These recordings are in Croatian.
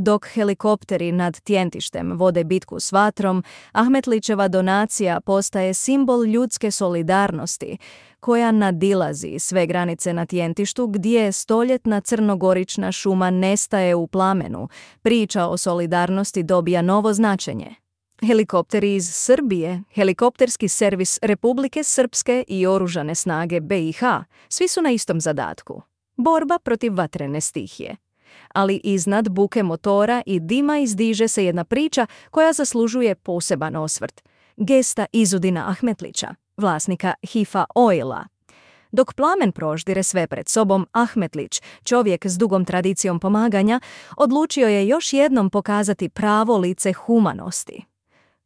Dok helikopteri nad Tjentištem vode bitku s vatrom, Ahmetlićeva donacija postaje simbol ljudske solidarnosti, koja nadilazi sve granice na Tjentištu gdje stoljetna crnogorična šuma nestaje u plamenu. Priča o solidarnosti dobija novo značenje. Helikopteri iz Srbije, helikopterski servis Republike Srpske i oružane snage BiH, svi su na istom zadatku. Borba protiv vatrene stihije. Ali iznad buke motora i dima izdiže se jedna priča koja zaslužuje poseban osvrt. Gesta Izudina Ahmetlića, vlasnika HIFA Oila. Dok plamen proždire sve pred sobom, Ahmetlić, čovjek s dugom tradicijom pomaganja, odlučio je još jednom pokazati pravo lice humanosti.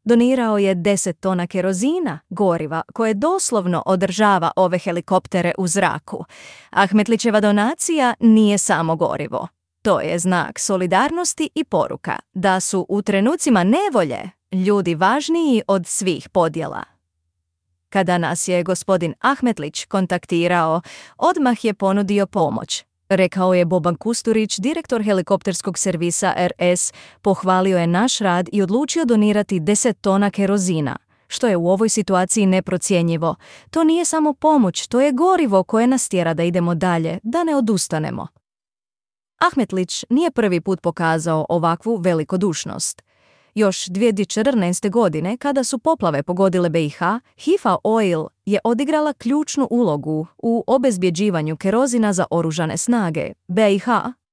Donirao je 10 tona kerozina, goriva, koje doslovno održava ove helikoptere u zraku. Ahmetlićeva donacija nije samo gorivo. To je znak solidarnosti i poruka da su u trenucima nevolje ljudi važniji od svih podjela. Kada nas je gospodin Ahmetlić kontaktirao, odmah je ponudio pomoć. Rekao je Boban Kusturić, direktor helikopterskog servisa RS, pohvalio je naš rad i odlučio donirati 10 tona kerozina, što je u ovoj situaciji neprocjenjivo. To nije samo pomoć, to je gorivo koje nas tjera da idemo dalje, da ne odustanemo. Ahmetlić nije prvi put pokazao ovakvu velikodušnost. Još 2014. godine, kada su poplave pogodile BiH, HIFA Oil je odigrala ključnu ulogu u obezbjeđivanju kerozina za oružane snage BiH,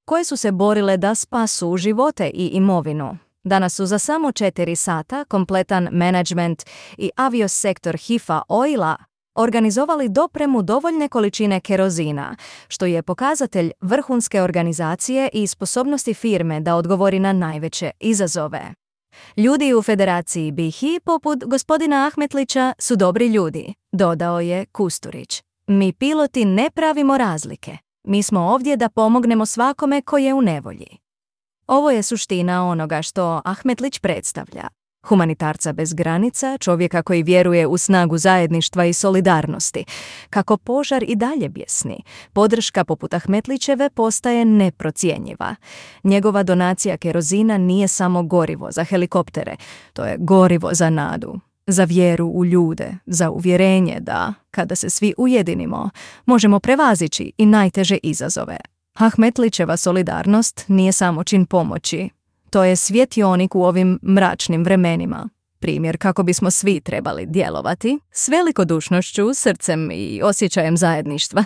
koje su se borile da spasu živote i imovinu. Danas su za samo 4 sata kompletan menadžment i aviosektor HIFA Oila organizovali dopremu dovoljne količine kerozina, što je pokazatelj vrhunske organizacije i sposobnosti firme da odgovori na najveće izazove. Ljudi u Federaciji BiH, poput gospodina Ahmetlića, su dobri ljudi, dodao je Kusturić. Mi piloti ne pravimo razlike. Mi smo ovdje da pomognemo svakome koji je u nevolji. Ovo je suština onoga što Ahmetlić predstavlja. Humanitarca bez granica, čovjeka koji vjeruje u snagu zajedništva i solidarnosti. Kako požar i dalje bjesni, podrška poput Ahmetlićeve postaje neprocjenjiva. Njegova donacija kerozina nije samo gorivo za helikoptere, to je gorivo za nadu, za vjeru u ljude, za uvjerenje da, kada se svi ujedinimo, možemo prevazići i najteže izazove. Ahmetlićeva solidarnost nije samo čin pomoći. To je svjetionik u ovim mračnim vremenima. Primjer kako bismo svi trebali djelovati s velikodušnošću, srcem i osjećajem zajedništva.